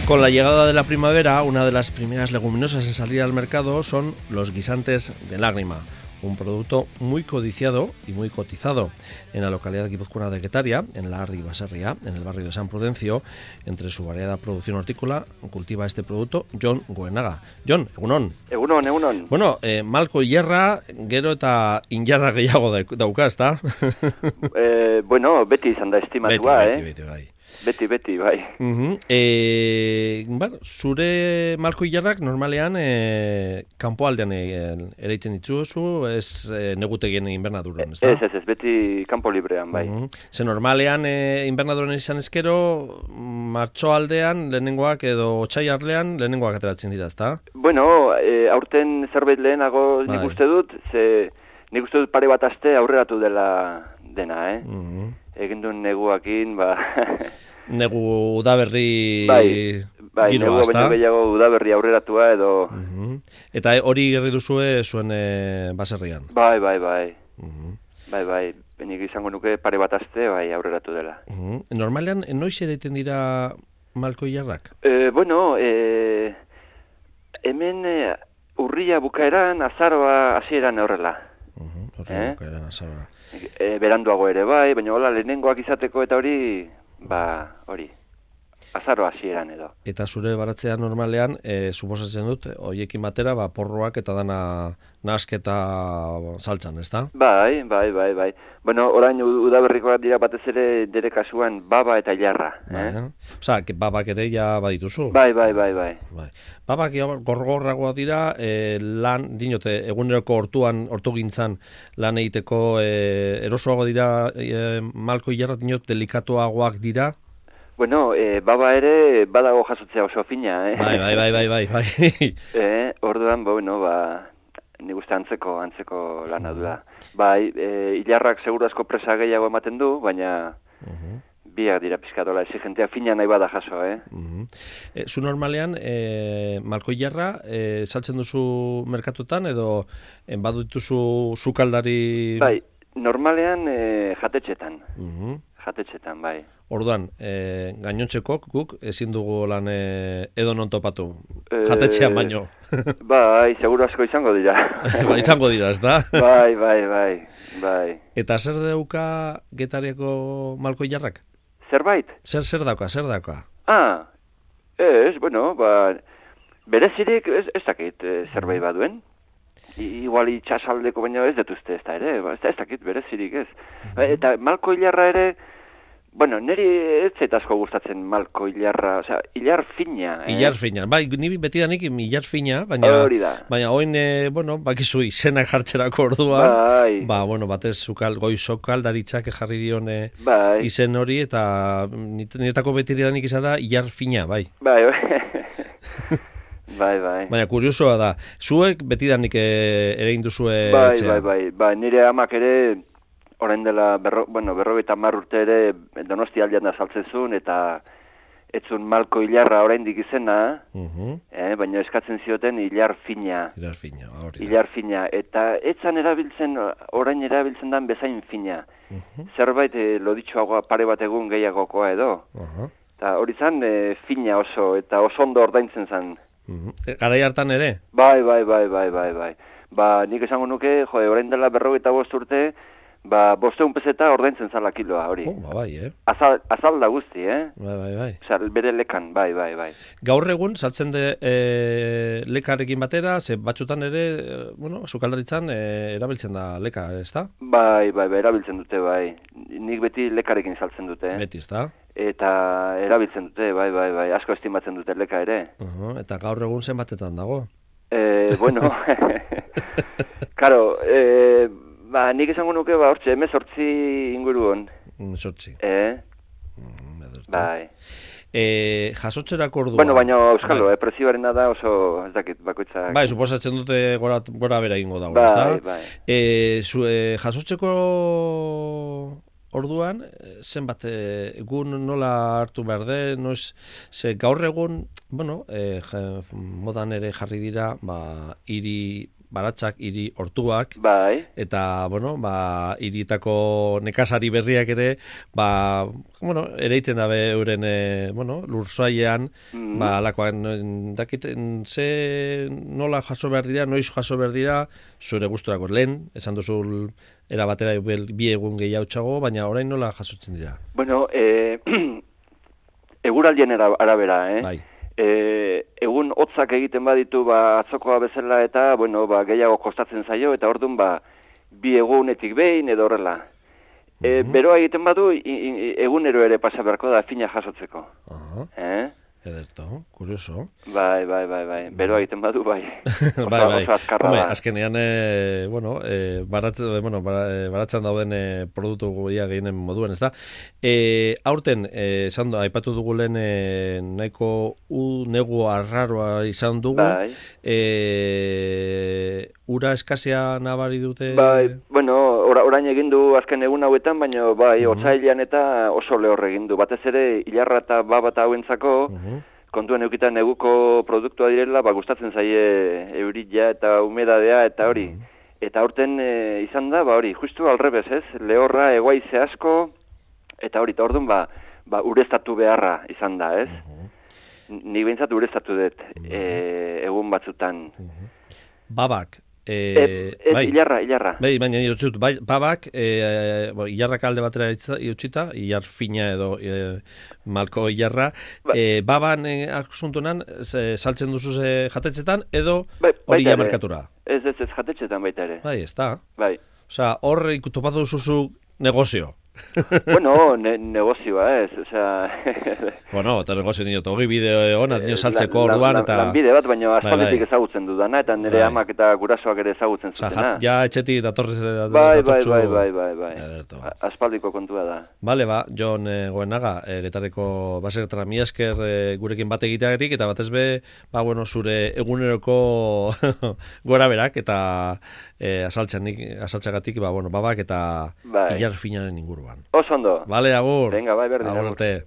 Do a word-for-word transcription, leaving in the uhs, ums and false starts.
Con la llegada de la primavera, una de las primeras leguminosas en salir al mercado son los guisantes de lágrima, un producto muy codiciado y muy cotizado. En la localidad guipuzcoana de Getaria, en la Arri Baserria, en el barrio de San Prudencio, entre su variada producción hortícola, cultiva este producto Jon Goenaga. Jon, egunon. Egunon, egunon. Bueno, eh, malko ilarra, gero eta injarra gehiago dauka, ezta? eh, bueno, beti izan da estimatua, beti, eh? Beti, beti, bai. Beti, beti, bai. Uh-huh. E, bueno, zure malko ilarrak normalean e, kanpoaldean e, ereiten dituzu, ez e, negutegien inbernaduran, ez da? Ez, ez, ez, beti kanpo librean, bai. Uh-huh. Ze normalean e, inbernaduran izan ezkero, martxoaldean lehenengoak edo otsaiarlean lehenengoak ateratzen dira, ez da? Bueno, e, aurten zerbait lehenago bai. nik uste dut, ze nik uste dut pare bat aste aurreratu dela dena, eh? Uh-huh. Egin duen neguakin, ba... Negu udaberri bai, bai, giroa, negu baino gehiago udaberri aurreratua edo... Uh-huh. Eta hori gerri duzue zuen e, baserrian? Bai, bai, bai. Uh-huh. Bai, bai, benik izango nuke pare bat aste, bai, aurreratu dela. Uh-huh. Normalean, noiz ereiten dira malko ilarrak? E, bueno, e, hemen e, urria bukaeran, azaroa hasieran horrela. Uh-huh. Urria eh? bukaeran, azaroa. E, beranduago ere bai, baina hola lehenengoak izateko eta hori, ba, hori, azaro hasieran edo. Eta zure baratzean normalean, e, suposatzen dut, hoiekin batera, ba, porroak eta dana nasketa saltzan, ez da? Bai, bai, bai, bai. Bueno, orain udaberrikoak dira batez ere dere kasuan baba eta ilarra. Bai, eh? eh? Osa, babak ere ja badituzu. Bai, bai, bai, bai. bai. Babak gorgorragoa dira, e, lan, dinote, eguneroko hortuan, hortugintzan lan egiteko e, erosoago dira, e, malko ilarra dinot delikatuagoak dira. Bueno, e, baba ere badago jasotzea oso fina, eh? Bai, bai, bai, bai, bai, bai. eh, orduan, bueno, ba, nik uste antzeko, antzeko lana du da. Bai, e, ilarrak seguru asko presa gehiago ematen du, baina uh-huh. biak dira pizkatola, exigentea fina nahi bada jaso, eh? Uh-huh. E, zu normalean, e, malko ilarra, e, saltzen duzu merkatutan, edo e, badu dituzu sukaldari... Bai, normalean e, jatetxetan. Uh-huh. Jatetxetan, bai. Orduan, e, gainontzekok guk ezin dugu lan e, edo non topatu, jatetxean baino. Bai, seguru asko izango dira. Ba, izango dira, ez da? Bai, bai, bai, bai. Eta zer dauka Getariako malko ilarrak? Zerbait? Zer, zer dauka, zer dauka? Ah, ez, bueno, ba, berezirik ez, ez dakit e, zerbait baduen. I, igual itxasaldeko baino ez detuzte ez da ere, ba, ez, da, ez dakit berezirik ez. Uh-huh. Eta malko ilarra ere, bueno, niri ez zait asko gustatzen malko ilarra, osea, ilar fina. Eh? Ilar fina, bai, niri betidanik ilar fina, baina, baina oin, e, bueno, bakizu izenak jartzerako orduan, bai. Ba, bueno, batez zukal, goi sokaldaritzak jarri dion e, bai. izen hori, eta niretako betidanik izan da ilar fina, bai. Bai, bai. Bai, bai. Baina, kuriosoa da, zuek betidanik ere induzue bai, etxea? Bai, bai, bai, nire amak ere, orain dela, berro, bueno, berrogeita hamar urte ere, Donosti aldean da saltzen zuen, eta etzun malko ilarra oraindik izena, uh-huh. eh, baina eskatzen zioten ilar fina. Ilar fina, hori. Ilar fina, eta etzan erabiltzen, orain erabiltzen dan bezain fina. Uh-huh. Zerbait, eh, loditxoagoa pare bat egun gehiagokoa edo. Uh-huh. Eta hori zan, eh, fina oso, eta oso ondo ordaintzen zan. Uh-huh. Garai hartan ere? Bai, bai, bai, bai, bai, bai. Ba, nik esango nuke, jode, orain dela berrogeita bost urte, ba, bosteun peseta ordaintzen zala kiloa, hori. Oh, ba, bai, eh? Azal, azal da guzti, eh? Bai, bai, bai. Osa, bere lekan, bai, bai, bai. Gaur egun, saltzen de e, lekarekin batera, ze batzutan ere, e, bueno, sukaldaritzan e, erabiltzen da leka, ez da? Bai, bai, bai, erabiltzen dute, bai. Nik beti lekarekin saltzen dute, eh? Beti, ez da? Eta erabiltzen dute, bai, bai, bai, asko estimatzen dute leka ere. Uh-huh. Eta gaur egun zenbatetan dago? Eh, bueno, karo, eh, ba, nik esango nuke, ba, hortxe, emezortzi inguruan. Emezortzi. Eh? Mm, bai. E, jasotzerako orduan. Bueno, baina euskalo, bai. eh, prezioarena da oso, ez dakit, bakoitzak. Bai, suposatzen dute gora, gora bera ingo dago, bai, ez da? Bai, e, zu, e, jasotzeko orduan, zenbat egun nola hartu behar den, noiz, ze gaur egun, bueno, e, modan ere jarri dira, ba, hiri baratzak, hiri hortuak, bai. eta, bueno, ba, hiritako nekazari berriak ere, ba, bueno, ereiten dabe euren, e, bueno, lurzoaian, mm. ba, alakoan, dakiten, ze nola jaso behar dira, noiz jaso behar dira, zure gusturako lehen, esan duzu era batera bi egun gehiago txago, baina orain nola jasotzen dira? Bueno, eh, eguraldien arabera, eh? Bai. E, egun hotzak egiten baditu ba atzokoa bezala eta bueno ba gehiago kostatzen zaio eta ordun ba bi egunetik behin edo horrela. E, mm-hmm. Beroa egiten badu i, i, egunero ere pasa beharko da fina jasotzeko. Uh-huh. Eh? Ederto, kurioso. Bai, bai, bai, bai. Beroa egiten badu bai. Osa, bai, bai. Hombre, azkenean e, bueno, e, barat, bueno, baratzen dauden e, produktu goia gehienen moduan, ezta? E, aurten e, esan aipatu dugu lehen e, nahiko u negu arraroa izan dugu. Bai. E, ura eskasea nabari dute? Bai, bueno, or, orain egin du azken egun hauetan, baina bai, uh-huh. otsailean eta oso lehor egin du. Batez ere, hilarra eta babata hauentzako, uh-huh. kontuan eukitan neguko produktua direla, ba, gustatzen zaie eurila eta humedadea eta hori. Uh-huh. Eta aurten e, izan da, ba hori, justu alrebez, ez? Lehorra, egoaize asko, eta hori, eta orduan, ba, ba, ureztatu beharra izan da, ez? Uh-huh. Ni behintzat ureztatu dut, uh-huh. e, egun batzutan. Uh-huh. Babak, E, e, bai, ilarra, ilarra. Bai, baina irutzut, bai, babak, e, bo, ilarrak alde batera iutzita, ilar fina edo e, malko ilarra, ba, e, baban e, asuntunan, saltzen duzu ze jatetxetan, edo bai, hori ja merkatura? Ez, ez, ez jatetxetan baita ere. Bai, ez da. Bai. Osea, hor ikutopatu duzu negozio. Bueno, ne, negozioa ez, osea... bueno, eta negozio nio, eta hori bide hona, nio saltzeko orduan, eta... Lanbide bat, baina aspalditik bai, bai. ezagutzen dudana, eta nire bai. amak eta gurasoak ere ezagutzen zutena. Osea, ja etxetik datorrez... Bai, bai, bai, bai, bai, bai. Ederto. Aspaldiko kontua da. Bale, ba, Jon e, Goenaga, e, Getarreko baserretara mi esker e, gurekin bat egiteagatik, eta batez be, ba, bueno, zure eguneroko gora berak, eta e, asaltxagatik, ba, bueno, babak, eta bai. Ilar finaren inguruan. Oso ondo. Vale, agur. Venga, bai, berdin. Agur arte.